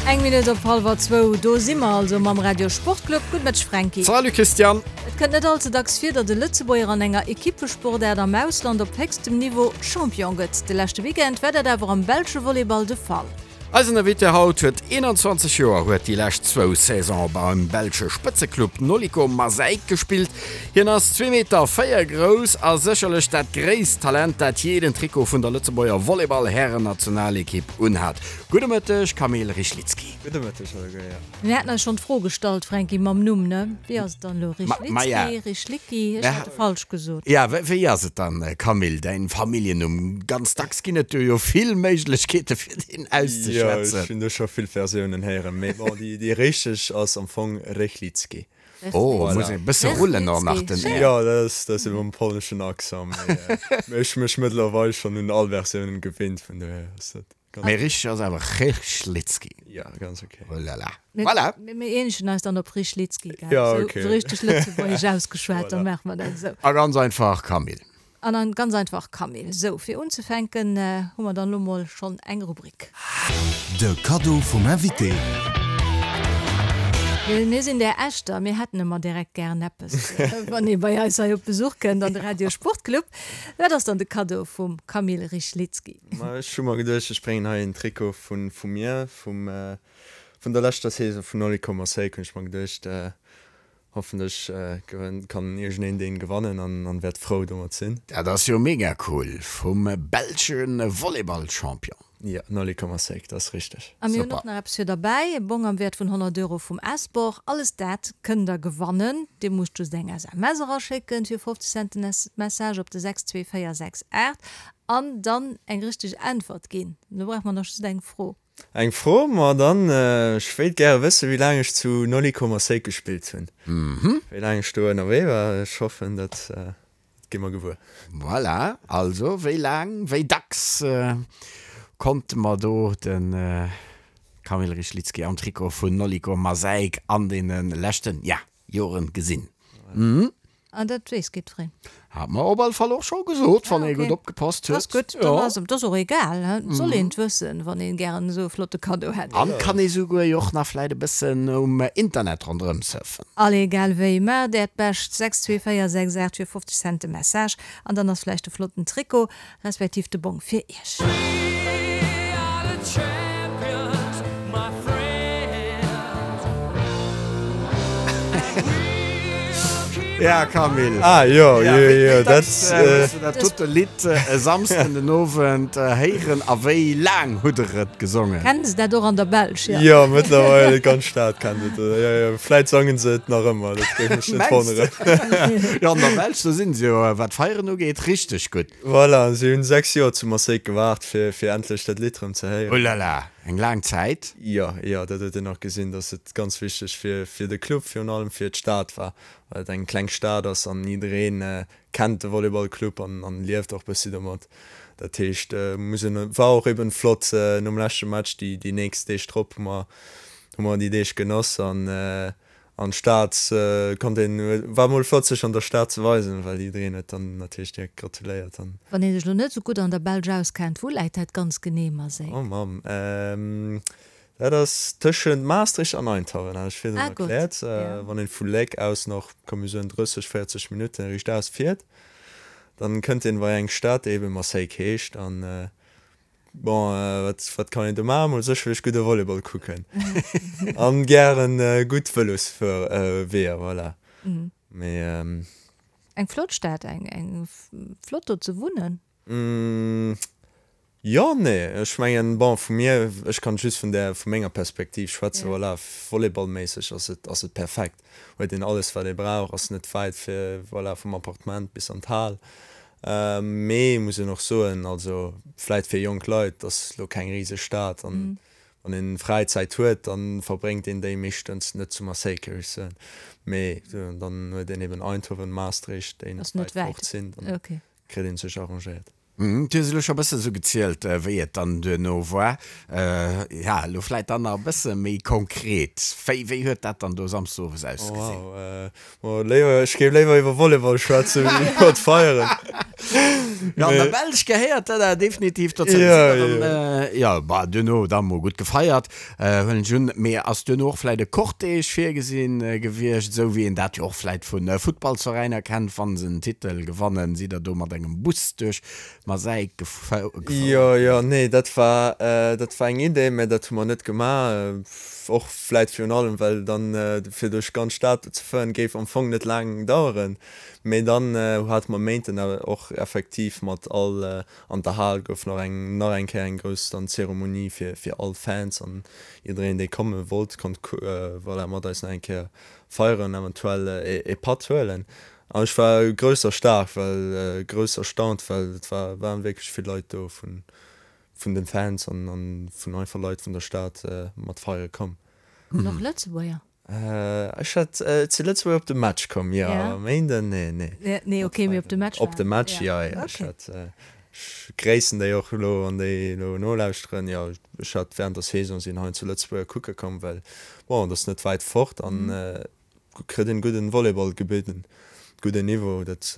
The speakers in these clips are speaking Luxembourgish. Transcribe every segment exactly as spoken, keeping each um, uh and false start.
Eng Minutt op hallwer zwou, do si mer also mam Radio Sportclub. Gudde Mëtteg Franky. Salut Christiane. Et kënnt net all ze dacks vir, datt e Lëtzebuerger an enger Ekippesportaart am Ausland op héchstem Niveau Champion gëtt. De leschte Weekend war dat awer am belsche Volleyball de Fall. Eisen Invité haut huet eenanzwanzeg Joer, huet déi lescht zwou Saisone beim belsche Spëtzeclub Noliko Maaseik gespillt. Hien ass zwee Meter véier grouss a sécherlech dat gréisst Talent, dat jee den Trikot vun der Lëtzebuerger Volleyball-Härennationalekipp unhat. Gudde Mëtteg, Kamil Rychlicki. Gudde Mëtteg alleguer, jo. Mir haten eis schonn d'Fro gestallt, Franky, mam Numm, ne? Wéi ass et dann elo, Rychlicki, Rychlicki? Ech hat e falsch gesot. Ja, wéi ass et dann, Camille, däin Familljennumm? Ganz dacks ginn et do jo vill Méiglechkeete fir deen auszeschwätzen. Jo, ech hunn do scho vill Versiounen héieren, mee bon, déi, déi richteg ass am Fong Rychlicki. Oh, muss een e bësse rullen och nach den R. Jo, dat ass, dat ass ebe mam polneschen Accent, mee, mee ech hu mech mëttlerweil schonn un all Versiounen gewinnt, vun dohier ass dat. Mee richteg ass awer Rychlicki. Ja, ganz okay. Oh là là. Voilà. Mir eenegen eis dann op Rychlicki, gell? Ja, okay. Esou richteg lëtzebuergesch ausgeschwat, dann maache mer dat esou. A ganz einfach Camille. An dann ganz einfach Camille. Sou, fir unzefänken hu mer dann elo mol schonn eng Rubrik. De Kaddo vum Invité. Well mir sinn där Echter, mir hätten ëmmer direkt gären eppes, wann ee bei eis hei op Besuch kënnt an de Radio Sportclub. Wat ass dann de Kaddo vum Kamil Rychlicki? Ma ech hu mer geduecht, ech bréngen hei en Trikot vu vu mir, vum vun der leschter Saison vun Noliko Marseille, hunn ech mer geduecht, hoffentlech gewënnt, kann iergendeen deen gewannen an an wäert frou domat sinn. Dat ass jo mega cool, vum belsche Volleyball-Champion. Jo, Nolly Komasek, dat ass richteg. A mir hunn och nach eppes fir derbäi, e Bong am Wäert vun honnert Euro vum S-Bor. Alles dat kënnt der gewannen. Dir musst just eng S M S eraschécken fir fofzeg Cent den Message op de sechs zwee véier sechs aacht an dann eng richteg Äntwert ginn. Elo brauche mer nach just eng Fro. Eng Fro? Ma dann, ech wéilt gäre wëssen, wéi laang ech zu Nolly Komasek gespillt hunn. Wéi laang ech do ënnerwee war. Ech hoffen, dat gi mer gewuer. Voilà, also wéi laang, wéi dacks konnte mer do de Kamil Rychlicki am Trikot vun Noliko Maaseik an deene leschten, ja, Joren gesinn? An dat weess jiddwereen. Hat mer op alle Fall och scho gesot, wann ee gutt opgepasst huet. Ass gutt, dann ass et och egal. Et soll een et wëssen, wann een gären esou e flotte Kaddo hätt. An kann ee souguer jo och nach vläit e bëssen um Internet ronderëm surfen. Allez, egal wéi, maacht äert Bescht, sechs zwee véier sechs aacht fir fofzeg Cent de Message an dann ass vläicht e flotten Trikot respektiv de Bong fir iech. Ja, Camille. Ah, jo, jo, jo, dat. Hues du dat dote Lidd e Samsden den Owend héieren a wéi laang hutt der et gesongen? Kennen se dat och an der Belsch? Jo, jo, mëttlerweil, d'ganz Stad kennt et. Jo, jo, vläit sangen se et nach ëmmer, dat géif mech net wonneren. Jo, an der Belsch, do sinn se jo, wat d'Feieren ugeet, richteg gutt. Voilà, si hunn sechs Joer zu Maaseik gewaart, fir, fir endlech dat Lidd erëm ze héieren. Oh là là, eng laang Zäit. Jo, jo, dat huet een och gesinn, dass et ganz wichteg fir, fir de Club, virun allem fir d'Stad war, well et eng kleng Stad ass an jiddereen kennt de Volleyballclub an, an lieft och bëssi domat. Dat heescht, muss een, war och eben flott nom leschte Match, déi, déi nächst Deeg drop hu mer, hu mer déi Deeg genoss an, an d'Stad konnt een, war mol flott sech an der Stad ze weisen, well jiddereen huet dann natierlech direkt gratuléiert an. Wann ee sech elo net esou gutt an der Belsch auskennt, wou läit dat ganz genee, Marseille? Oh Mamm, dat ass tëschent Maastricht an Eindhoven, hat ech virdrun erkläert. Wann een vu Léck aus nach, komm mir soen drësseg, véierzeg Minutten riichtaus fiert, dann kënnt een bei eng Stad déi eben Maaseik heescht an Bon, wat, wat kann een do maachen? Mol sécherlech gudde Volleyball kucken an gären gutt Vëlosweeër, voilà. Mee. Eng flott Stad, eng, eng flott do ze wunnen? Jo, nee, ech mengen, bon, vu mir, ech kann just vun där, vu menger Perspektiv schwätzen, voilà, volleyballméisseg ass et, ass et perfekt, huet een alles wat ee brauch, ass net wäit fir, voilà, vum Appartement bis an d'Hal. Mee muss een och soen, also vläit fir jonk Leit, ass lo keng riseg Stad an wann een Fräizäit huet, dann verbréngt een déi meeschtens net zu Marseille, géif ech soen. Mee dann huet een eben Eindhoven, Maastricht, déi net wäit fort sinn, dann kritt een sech arrangéiert. Du hues elo scho e bësse sou gezielt, wéi et dann duerno war. Ja, elo vläit dann nach e bësse méi konkret, wéi, wéi huet dat dann do Samsdes owes ausgesinn? Oh wow, ma léiwer, ech géif léiwer iwwer Volleyball schwätzen, wéi iwwer d'Feieren. Jo, an der Belsch gehéiert dat awer definitiv dozou. Jo, jo. Jo, bah, duerno da mol gutt gefeiert, huelen ech un. Mee ass duerno och vläit e Cortège virgesinn gewiescht, esou wéi een dat jo och vläit vu Futtballsveräiner kennt, wa se en Titel gewannen, sidd der do mat engem Bus duerch Maaseik gefouert? Jo, jo, nee, dat war, dat war eng Idee, mä dat hu mer net gemaach. Och vläit virun allem, well dann, fir duerch d'ganz Stad ze fueren, géif am Fong net laang daueren. Mee dann hate mer Méinten awer och effektiv mat all, an der Hal gouf nach eng, nach eng Kéier eng grouss dann Zeremonie fir, fir all Fans an jiddereen, dee komme wollt, konnt voilà mat eis nach eng Kéier feieren, eventuell ee Patt huelen. An ech war grouss erstaart, well, grouss erstaunt, well et war, waren wierklech vill Leit do vun, vun den Fans an, an vun einfach Leit vun der Stad mat feiere komm. An och Lëtzebuerger? Ech hat, et si Lëtzebuerger op de Match komm, jo. Ja. Méinden, nee, nee. Nee, okay, mee op de Match Op de Match, jo, jo. Ech hat, ech gréissen déi och elo, wann déi elo nolauschteren. Jo, ech hat während der Saison sinn hei zu Lëtzebuerger kucke komm, well bon, et ass net wäit fort an kritt een gudden Volleyball gebidden, gudden Niveau, dat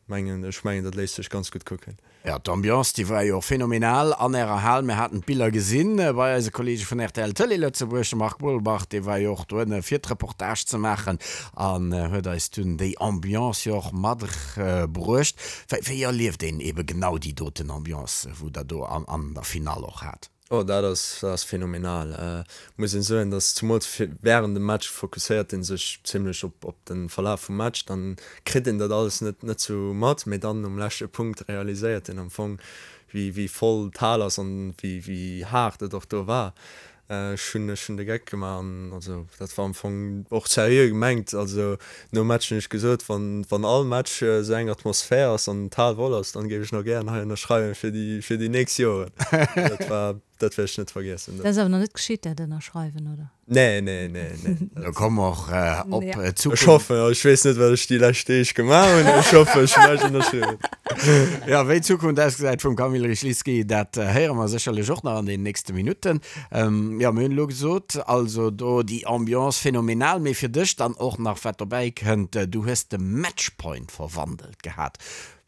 mengen ech mengen dat léisst sech ganz gutt kucken. Jo, d'Ambiance déi war jo och phänomenal an ärer Hal. Mir haten d'Biller gesinn bei eise Kollege vun rtl Tëlee Lëtzebuerg, de Marc Bolbach, dee war jo och doënne fir d'Reportage ze maachen an huet eis dunn déi Ambiance jo och matbruecht. Wéi wéi erlieft een ebe genau déi doten Ambiance, wou der do an der Finall och hat? Oh, dat ass, dat ass phänomenal. Muss een soen, dass zumools während dem Match fokusséiert een sech zimlech op, op den Verlaf vum Match, dann kritt een dat alles net, net sou mat, mee dann um leschte Punkt realiséiert een am Fong, wéi, wéi voll d'Hal ass an wéi, wéi haart et och do war. Ech hunn, ech hunn de Geck gemaach an also dat war am Fong och seriö gemengt. Also nom Match hunn ech gesot, wann, wann all Match esou eng Atmosphär ass an d'Hal voll ass, dann géif ech nach gären hei ënnerschreiwen fir déi, fir déi nächst Joren. Dat war, dat wäert ech net vergiessen. Dat ass awer nach net geschitt, dat Ënnerschreiwen, oder? Nee, nee, nee, nee. Do komme mer och op d'Zukunft. Ech hoffen, ech weess net, wat ech déi lescht Deeg gemaach hunn, ech hoffen, ech hunn näischt ënnerschriwwen. Jo, wéi d'Zukunft ausgesäit vum Kamil Rychlicki, dat héiere mer sécherlech och nach an den nächste Minutten. Jo, mir hunn elo gesot, also do déi Ambiance phänomenal, mee fir dech dann och nach, wat dobäi kënnt, du hues de Matchpoint verwandelt gehat.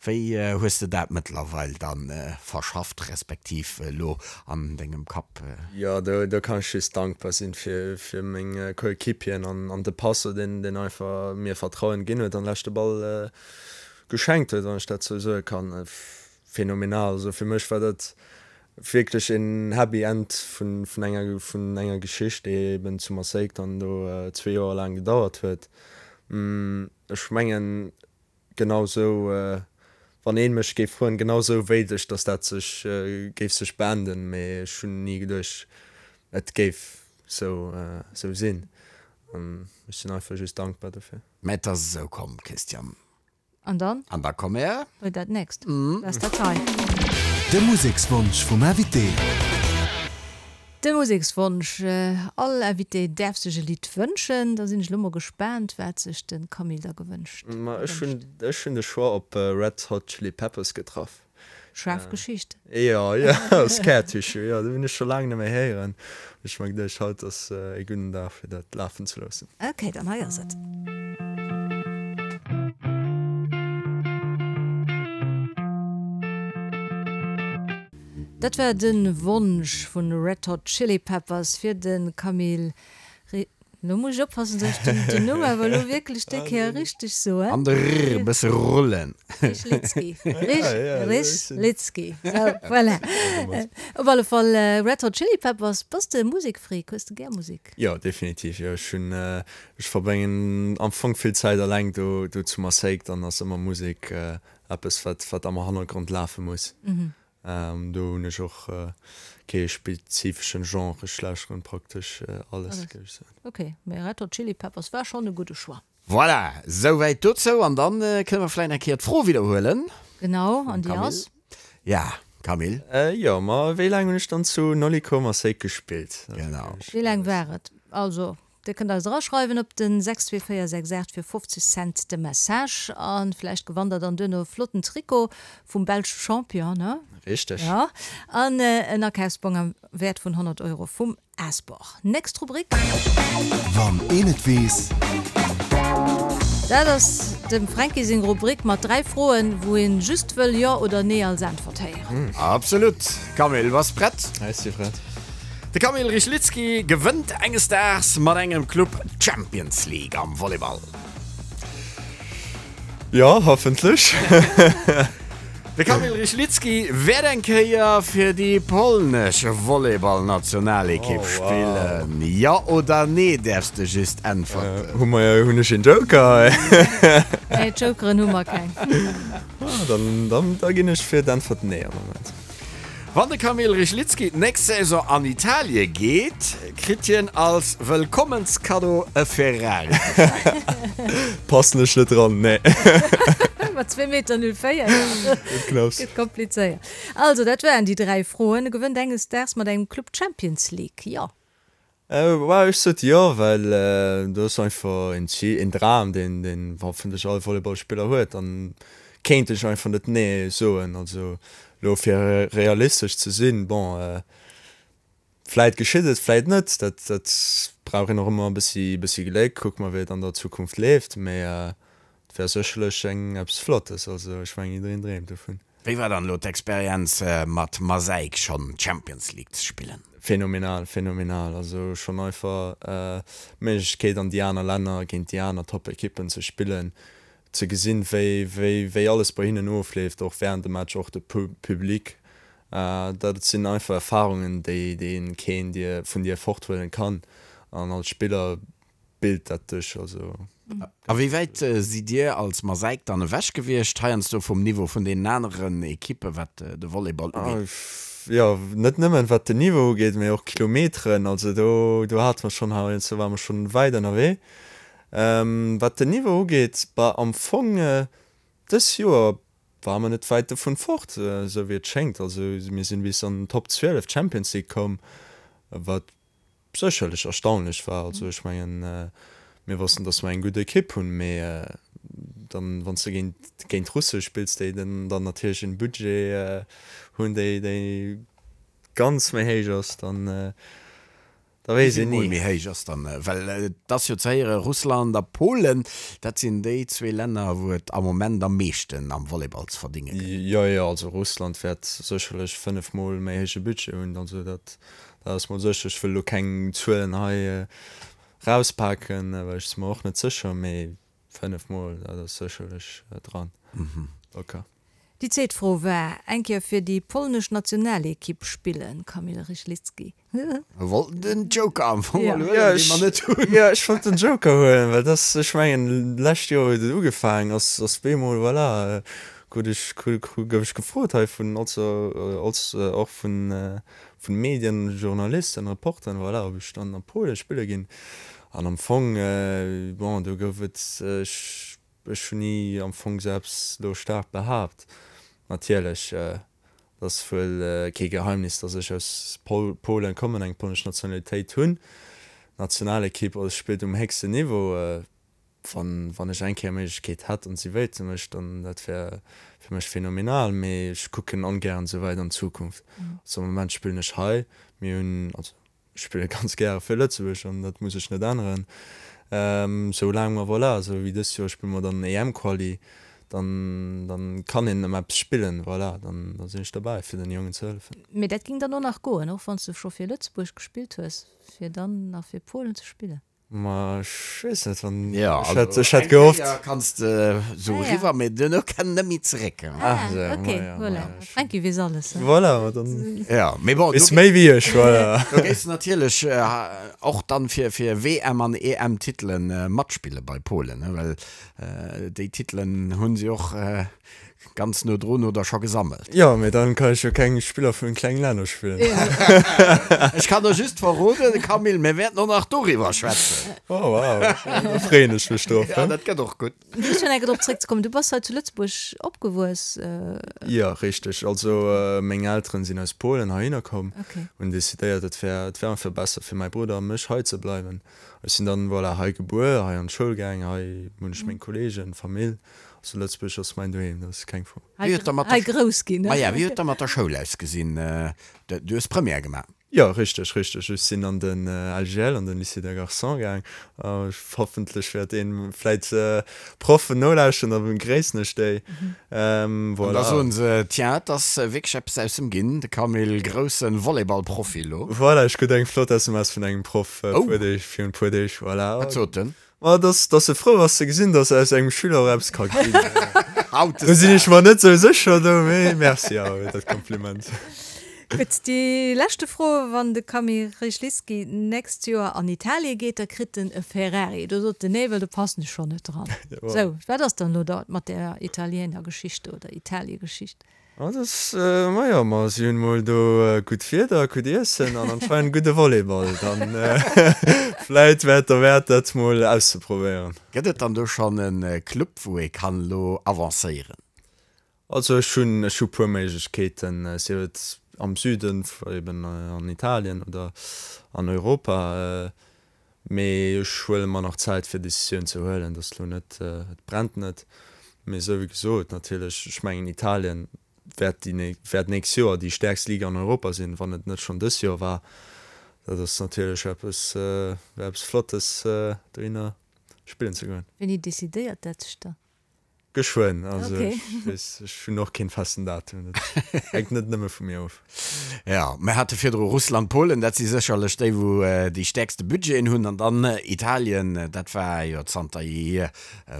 Wéi hues de dat mëttlerweil dann verschafft, respektiv elo an dengem Kapp? Jo, do kann ech just dankbar sinn fir fir meng Coéquipieren an an de Passo, deen deen einfach mir Vertrauen ginn huet an leschte Ball geschenkt huet, wann ech dat sou soe kann. Phänomenal. Also fir mech war dat wierklech een Happy End vun vun enger vun enger Geschicht, déi eben zu Marseille dann do zwee Joer laang gedauert huet. Ech mengen Genau sou, wann een mech géif froen, genau sou wéilt ech, dass dat sech géif sech beenden, mee ech hunn ni geduecht, et géif sou sou sinn an ech sinn einfach just dankbar dofir. Mä et ass esou komm, Christian. An dann? An da komme mer. Bei dat nächst. Dat ass dat hei. De Musekswonsch vum Invité. De Musekswonsch, All Invité däerf sech e Lidd wënschen. Da sinn ech elo mol gespaant, wat sech de Camille da gewënscht. Ma ech hunn, ech hunn de Choix op Red Hot Chili Peppers getraff. Schaarf Geschicht. Jo, jo, Scar Tissue, jo, dat hunn ech scho laang net méi héieren. Hunn ech mer geduecht, haut ass e gudden Dag fir dat lafen ze loossen. Ok, dann hei ass et. Dat war de Wonsch vun Red Hot Chili Peppers fir de Camille Ri-, lo muss ech oppassen, datt ech den Numm awer elo wierklech déi Kéier richteg soen. An de r e bësse rullen. Rychlicki. Rychlicki. Sou, voilà. Op alle Fall Red Hot Chili Peppers. Bass de Musekfreak? Hues de gär Musek? Jo, definitiv. Jo, ech hunn, ech verbréngen am Fong vill Zäit eleng do, do zu Maaseik. Dann ass ëmmer Musek eppes, wat, wat am Hannergrond lafe muss. Do hunn ech och kee spezifeschen Genre, ech lauschteren praktesch alles, géif ech soen. Ok, mee Red Hot Chili Peppers war schonn e gudde Choix. Voilà, souwäit dozou. An dann kënne mer vläicht nach eng Kéier d'Fro widderhuelen. Genau, an déi ass? Ja, Camille? Jo, ma wéi laang hunn ech dann zu Noliko Marseille gespillt? Genau. Wéi laang war et? Also, Dir kënnt eis eraschreiwen op den sechs zwee véier sechs aacht fir fofzeg Cent de Message an vläicht gewannt der dann duerno e flotten Trikot vum belsche Champion, ne? Richteg. Ja, an en Akafsbong am Wäert vun honnert Euro vum Asbor. Nächst Rubrik. Wann een et weess. Dat ass dem Fränki seng Rubrik mat dräi Froen, wou een just wëll Jo oder Nee als Äntwert héieren. Absolut. Camille, bass prett? Ech si prett. De Kamil Rychlicki gewënnt enges Daags mat engem Club d'Champions League am Volleyball. Jo, hoffentlech. De Kamil Rychlicki wäert eng Kéier fir déi polnesch Volleyballnationalekipp spillen. Jo oder Nee däerfs de just äntwerten. Hu mer, hunn ech een Joker? Nee, Jokeren hu mer keng. Ah, dann, dann, da ginn ech fir d'Äntwert Nee am Moment. Wann de Kamil Rychlicki d'nächst Saison an Italie geet, kritt hien als Wëllkommenskaddo e Ferrari geschenkt. Passen ech net dran, nee. Mat zwee Meter null véier, jo. Gëtt knapps. Gëtt komplizéiert. Also, dat waren déi dräi Froen. E gewënnt enges Daags mat engem Club d'Champions League, jo. Well ech sot jo, well do ass einfach een Zil, een Dram, deen, deen hoffentlech all Volleyballspiller huet. An kéint ech einfach net nee soen. Also elo fir realistesch ze sinn, bon, vläit geschitt et, vläit net, dat, dat brauch een och ëmmer e bëssi, bëssi Gléck. Kucke mer, wéi et an der Zukunft leeft, mee et wär sécherlech eng eppes Flottes. Also ech mengen, jiddereen dreemt dovun. Wéi war dann elo d'Experienz mat Maaseik schonn d'Champions League ze spillen? Phänomenal, phänomenal. Also schonn einfach d'Méiglechkeet an déi aner Länner géint déi aner Top-Ekippen ze spillen, ze gesinn, wéi, wéi, wéi alles bei hinnen ofleeft, och wärend dem Match, och de Public. Dat sinn einfach Erfarungen, déi, déi een keen dir, vun dir forthuelen kann. An als Spiller bilt dat dech. Also. A wéi wäit sidd Dir als Maaseik dann ewech gewiescht, heiansdo vum Niveau vun deenen aneren Ekippe wat de Volleyball ugeet? Jo, net nëmmen wat den Niveau ugeet, mee och Kilometeren. Also do, do hate mer schonn heiansdo ware mer schonn wäit ënnerwee. Wat den Niveau ugeet, bah am Fong dës Joer ware mer net wäit dovun fort, esou wéi et schéngt. Also mir sinn bis an den Top zwielef Champions League komm, wat sécherlech erstaunlech war. Also ech mengen, mir wossten, datt mer eng gutt Ekipp hunn, mee dann, wann s de géint géint Russe spills, déi dann natierlech en Budget hunn, déi déi ganz méi héich ass, dann da weess een Wéi vill ni. Mol méi héich ass dann? Well et ass jo ze héieren, Russland a Polen, dat sinn déi zwee Länner, wou et am Moment am meeschten am Volleyball ze verdénge gëtt. Jo, jo, also Russland wäert sécherlech fënnef Mol méi héije Budget hunn, also dat dat ass mol sécher. Ech wëll elo keng Zuelen hei rauspaken, well ech si mer och net sécher, mee fënnef Mol, dat ass sécherlech dran, locker. Déi zweet Fro war, Eng Kéier fir déi polnesch Nationalekipp spillen, Kamil Rychlicki? Mir wollten den Joker am Fong mol huelen, dee mer net hunn. Jo, ech wollt den Joker huelen, well dass, ech mengen, d'lescht Joer huet et ugefaangen, ass, ass bemol, voilà, krut ech, gouf ech gefrot hei vun, also, als, och vun, vun Medien, Journalisten, Reporteren, voilà, ob ech dann a Polen spille ginn. An am Fong, bon, do gouf et, ech, Ech hunn ni am Fong sou eppes elo staark behaapt. Natierlech, et ass wuel kee Geheimnis, datt ech aus Polen kommen, eng polnesch Nationalitéit hunn. D'Nationalekipp spillt um héchsten Niveau. Wann wann ech eng Kéier Méiglechkeet hätt an si wéilte mech, dann dat wär fir mech phänomenal. Mee ech kucken ongären esou wäit an d'Zukunft. Also am Moment spillen ech hei. Mir hunn, also Ech spille ganz gäre fir Lëtzebuerg an dat muss ech net änneren. Sou laang mer, voilà, esou wéi dëst Joer spille mer dann E M-Quali, dann, dann kann een ëm eppes spillen, voilà, dann, da sinn ech derbäi fir den Jongen ze hëllefen. Mee dat ging dann och nach goen, och wann s du scho fir Lëtzebuerg gespillt hues, fir dann nach fir Polen ze spillen? Ma ech weess net, wann Ja, ech hätt, also ech hätt eng gehofft. Kéier kanns de sou Ah ja. eriwwer, mee duerno kenn net méi zeréck. Ah, Ach sou, ok, ma ja, ma voilà. ja, ech Franky weess alles, he? Voilà, ma dann Ja, mee bon, do weess méi wéi ech, voilà. Do géifs de natierlech och dann fir, fir W M an E M-Titelen matspille bei Polen, ne? Well déi Titelen hunn si och Ganz no drun oder scho gesammelt. Jo, mee dann kann ech jo keng Spiller vun klengen Länner spillen. Ech kann der just verroden, Camille, mir wäerten och nach doriwwer schwätzen. Oh wow, da freeën ech mech drop. Ja, dat gëtt och gutt. Just fir nach eng Kéier drop zréckzekommen, du bass hei zu Lëtzebuerg opgewuess? Jo, richteg. Also meng Elteren sinn aus Polen heihinner komm, hunn decidéiert, et wär, et wär einfach besser fir mäi Brudder a mech hei ze bleiwen. Ech sinn dann, voilà, hei gebuer, hei an d'Schoul gaang, hei hunn ech meng Kolleegen, Famill. Also Lëtzebuerg ass mäin Doheem, dat ass keng Fro. Wéi huet da mat Hei der grouss ginn, ne? Maja, wéi huet da mat der Schoul ausgesinn? Du hues Première gemaach? Jo, richteg, richteg. Ech sinn an den L G L, an den Lycée des Garçons gaang. Hoffentlech wäert een vläit Proffen nolauschteren, da gréissen ech déi. An da Voilà. soen se, Tiens, et ass wierklech eppes aus em ginn, de Camille, grousse Volleyballprofi elo. Voilà, ech krut eng flott S M S vun engem Proff e Oh! puer Deeg, virun e puer Deeg, voilà. Wat sot en? Ma dass, dass e frou ass ze gesinn, dass aus engem Schüler och eppes ka ginn. Do sinn ech Hautdesdaags. mer net sou sécher do, mee merci awer fir dat Kompliment. Gutt, déi leschte Fro, Wann de Kamil Rychlicki nächst Joer an Italie geet, da kritt en e Ferrari. Do sot den nee, well do passen ech schonn net dran. Sou, wat ass dann elo da mat där Italiener-Geschicht oder Italie-Geschicht? Ah, das, ma jo, ma si hunn mol do gutt Wieder, gutt Iessen an anscheinend gudde Volleyball. Dann vläit wär et derwäert, dat mol auszeprobéieren. Gëtt et dann do schonn e Club, wou ee kann elo avancéieren? Also ech hunn, ech hu puer Méiglechkeeten, sief et am Süden, eben an Italien oder an Europa. Mee ech huele mer nach Zäit fir Decisioun ze huelen. Dat ass elo net, et brennt net. Mee esou wéi gesot, natierlech, ech mengen Italien wäert déi wäert nächst Joer déi stäerkst Liga an Europa sinn, wann et net schonn dës Joer war. Dat ass natierlech eppes, wär eppes Flottes, dohinner spillen ze goen. Wéini decidéiert dat sech dann? Geschwënn, also Okay. ech weess, ech hunn och keen festen Datum, dat hänkt net nëmme vu mir of. Jo, mir hate virdru Russland, Polen, dat si sécherlech déi, wou déi stäerkste Budgeten hunn, an dann Italien, dat war jo zanter jeehier,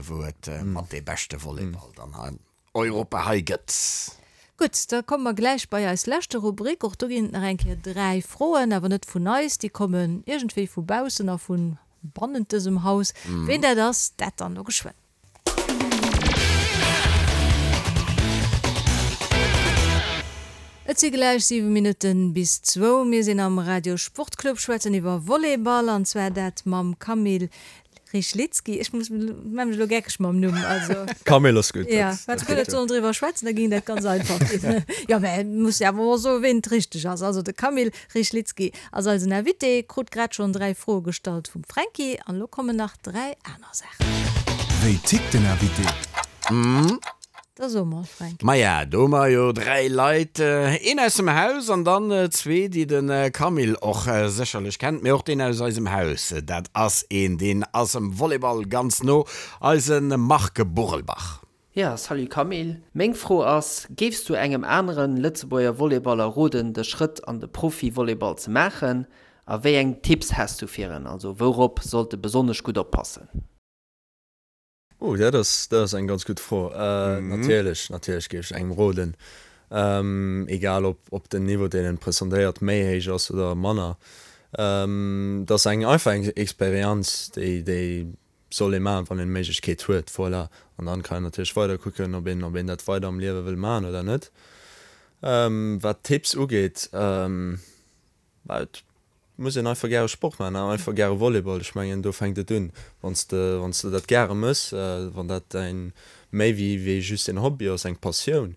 wou et mat dee beschte Volleyball dann an Europa hei gëtt. Gutt, da komme mer gläich bei eis leschte Rubrik. Och do ginn et nach eng Kéier dräi Froen, awer net vun eis, déi kommen iergendwéi vu baussen a vu bannent dësem Haus. Ween dat ass, dat dann elo geschwënn. Et si gläich siwe Minutten bis zwou. Mir sinn am Radio Sportclub, schwätzen iwwer Volleyball, an zwar dat mam Kamil Rychlicki. Ech muss, maa mech elo geckeg mam Numm, also. Kamil ass gutt, Ja, dat wat dat guer geet net jo. sollen driwwer schwätzen, da géing dat ganz einfach ginn. Jo, mä et muss jo awer och soen, ween et richteg ass. Also de Kamil Rychlicki ass eisen Invité, krut grad schonn dräi Froe gestallt vum Fränki, an elo kommen nach dräi aner Saachen. Wéi tickt den Invité? Da so mol, Fränki. Maja, do hu mer jo dräi Leit, een aus dem Haus an dann zwee, déi de Camille och sécherlech kennt, mee och deen aus eisem Haus, dat ass een, deen ass em Volleyball ganz no, eise Marc Burelbach. Ja, salut Camille. Meng Fro ass, Géifs du engem aneren Lëtzebuerger Volleyballer roden, de Schrëtt an de Profi-Volleyball ze maachen? A wéi eng Tipps häss du fir en? Also wourop sollt e besonnesch gutt oppassen? Oh, dat ass, dat ass eng ganz gutt Fro. Natierlech, natierlech géif ech engem roden, egal ob, ob den Niveau, deen en presentéiert, méi héich ass oder manner. Dat ass eng einfach eng Experienz, déi, déi soll ee maachen, wann een d'Méiglechkeet huet. Voilà. An dann kann een natierlech weider kucken, ob een, ob een dat weider am Liewe wëll maachen oder net. Wat d'Tipps ugeet, et muss een einfach gäre Sport maachen an einfach gäre Volleyball. Ech mengen, do fänkt et un. Wann s de, wann s de dat gäre méchs, wann dat däin méi wéi, wéi just en Hobby ass, eng Passioun,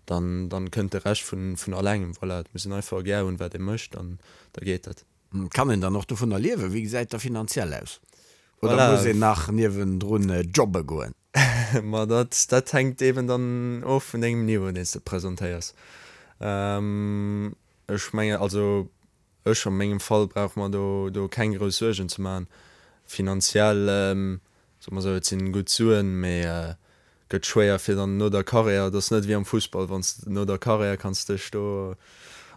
dann, dann kënnt de Rescht vun, vun allengem. Voilà, et muss een einfach gär hunn, wat ee mécht, an da geet dat. Kann een dann och dovunner liewen? Wéi gesäit dat finanziell aus? Oder Voilà. muss een nach niewendrun jobbe goen? Ma dat, dat hänkt eben dann of vun dengem Niveau, deen s de presentéiers. Ech mengen, also ech a mengem Fall brauch mer do, do keng grouss Suergen ze maachen. Finanziell, soe mer esou, et sinn gutt Suen, mee gëtt schwéier fir dann no der Karriär, et ass net wéi am Fussball, wann s de no der Karriär kanns dech do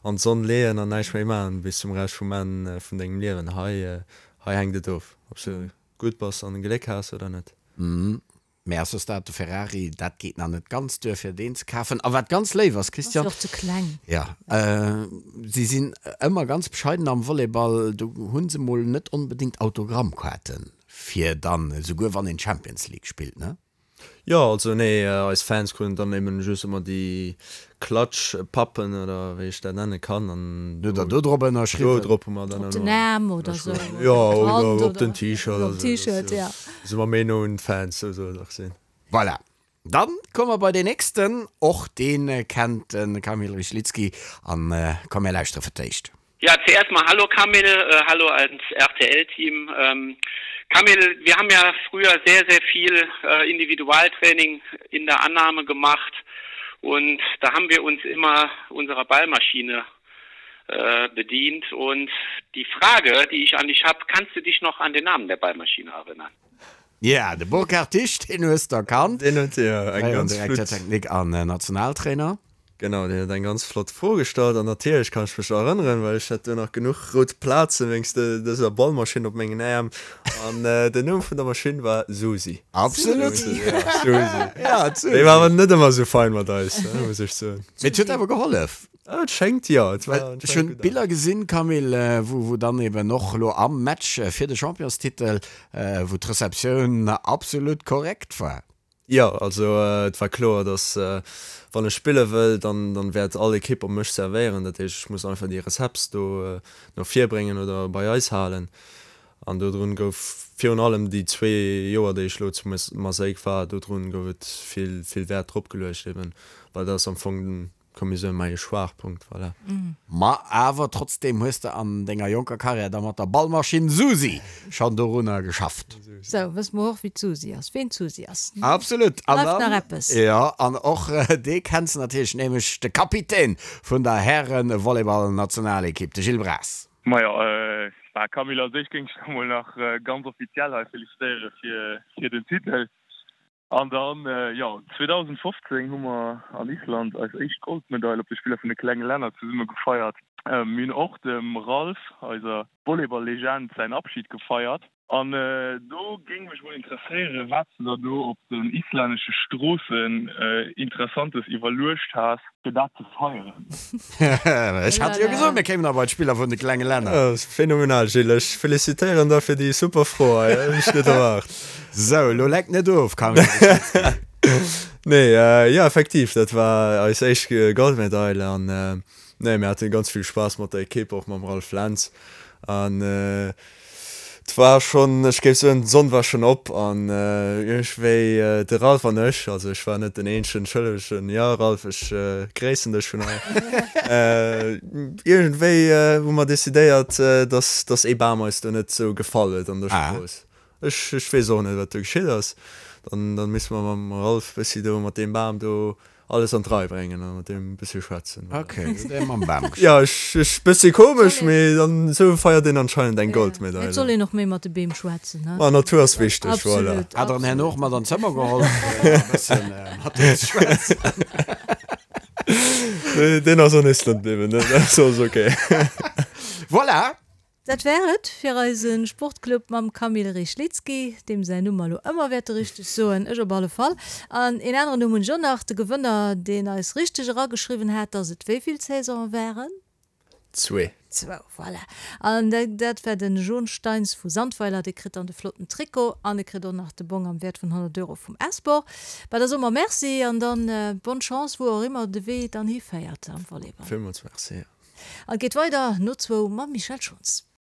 an d'Sonn leeën an näischt méi maachen bis zum Rescht vum Enn vun dengem Liewen. Hei, hei hänkt et of, ob s de gutt bass an Gléck has oder net. Mä ass soss dat de Ferrari, dat geet nach net ganz duer fir deen ze kafen. A wat ganz léif ass, Ass Christian, jo och ze kleng. Ja, si sinn ëmmer ganz bescheiden am Volleyball, do hu se mol net onbedéngt Autogrammkaarten fir dann, esouguer wann een Champions League spillt, ne? Jo, also nee, eis Fans kruten dann eben just ëmmer déi Klatschpappen oder wéi ech dat nenne kann an do do drop ënnerschriwwen. Do drop hu mer dann Op den Aarm oder sou. Jo, oder op den T-Shirt oder sou. Op T-Shirt, ja. Si mer méi no un d'Fans, sou soll et och sinn. Voilà. Dann komme mer bei deen nächsten, och dee kennt de Kamil Rychlicki an komm mir lauschtere fir d'éischt. Ja, zuerst mal hallo Kamil, äh, hallo ans RTL-Team. Ähm, Kamil, wir haben ja früher sehr, sehr viel äh, Individualtraining in der Annahme gemacht und da haben wir uns immer unserer Ballmaschine äh, bedient. Und die Frage, die ich an dich habe, kannst du dich noch an den Namen der Ballmaschine erinnern? Ja, de Burkhard Tisch, deen hues de erkannt. Deen huet jo eng Fréieren ganz Direkter flott. Technique an Nationaltrainer. Genau, deen huet eng ganz flott Fro gestallt an natierlech kann ech mech erënneren, well ech hat do nach genuch rout Plaze wéinst dëser Ballmaschinn op mengen Äerm an den Numm vun der Maschinn war Susi. Absolut. Susi, ja, Susi. Ja, d'Susi. Déi war awer net ëmmer esou fein mat eis, muss ech soen. Mee et huet awer gehollef. Et schéngt jo, et war Well ech anscheinend hunn gutt Biller gesinn, Camille, wou wou dann eben och elo am Match fir de Championstitel, wou d'Receptioun absolut korrekt war. Jo, also et war kloer, datt wann ech spille wëll, dann dann wäert all Ekipp op mech servéieren. Dat heescht, ech muss einfach déi Recepts do no vir bréngen oder bei eis halen. An dodrun gouf virun allem déi zwee Joer, déi ech elo zu Maaseik war, dodrun gouf et vill vill Wäert drop geluecht eben, well dat ass am Fong den komm mir soen, mäi Schwaachpunkt, voilà. Ma awer trotzdeem hues de an denger jonker Karriär da mat der Ballmaschinn Susi schonn dorunner geschafft. Sou, wësse mer och, wéi d'Susi ass, ween d'Susi ass. Absolut. An Bleift dann, nach eppes? jo, an och dee kenns de natierlech, nämlech de Kapitän vun der Hären-Volleyball-Nationalekipp, de Gilles Braas. Majo, bah Camille, also ech géing dech da mol nach ganz offiziell hei felicitéiere fir fir den Titel. An dann, jo, zweedausendfofzéng hu mer an Island eis éischt Goldmedail op de Spiller vun de klenge Länner zesumme gefeiert. Mir hunn och dem Ralph, eiser Volleyball-Legend, säin Abschid gefeiert. An do géing mech mol interesséieren, wat s de der do op den islännesche Stroossen Interessantes iwwerluecht has, fir dat ze feieren. Ech hat jo gesot, mir kéimen nach bei d'Spiller vun de klenge Länner. Phänomenal, Gilles. Ech felicitéieren der fir déi super Fro hei. Hunn ech net erwaart. Sou, elo leck net of, Camille. Nee, jo, effektiv, dat war eis éischt Goldmedail. An nee, mir hate ganz vill Spaass mat der Ekipp, och mam Ralph Lentz. An et war schonn, ech géif soen, d'Sonn war schonn op an iergendwéi de Ralph an ech, also ech war net den eenzegen Schëllegen, jo Ralph, ech gréissen dech vun hei, iergendwéi hu mer decidéiert, dass dass ee Bam eis do net esou gefall huet an der Strooss. Ech ech weess och net, wat do geschitt ass. Dann dann misste mer mam Ralph bëssi do mat deem Bam do alles an d'Rei bréngen a mat deem e bëssi schwätzen. Ok, hutt Dir mam Bam geschwat? Jo, ech, ech, bëssi komesch, mee dann esou feiert een anscheinend eng Goldmedail. Et soll een och méi mat de Beem schwätzen, ne? Ma Natur ass wichteg, voilà. Absolut, Hat der en herno och absolut. mat an d'Zëmmer geholl, fir e bëssen mat deem ze schwätzen? Nee, deen ass an Island bliwwen, dat ass alles ok. Voilà! Dat war et fir eise Sportclub mam Kamil Rychlicki, deem säin Numm mer elo ëmmer wäerte richteg soen, ech op alle Fall. An een aneren Numm hunn ech och nach, de Gewënner, deen eis richteg erageschriwwen hat, dass et wéi vill Saisonen waren? Zwee. Zwou, voilà. An dat war den John Steins vu Sandweiler, dee kritt dann de flotten Trikot an e kritt och nach de Bong am Wäert vun honnert Euro vum S-Sport. Bah, da soe mer Merci an dann bonne Chance, wou och ëmmer de Wee dann hiféiert am Volleyball. Villmools Merci. An et geet weider no zwou mam Michèle Schons.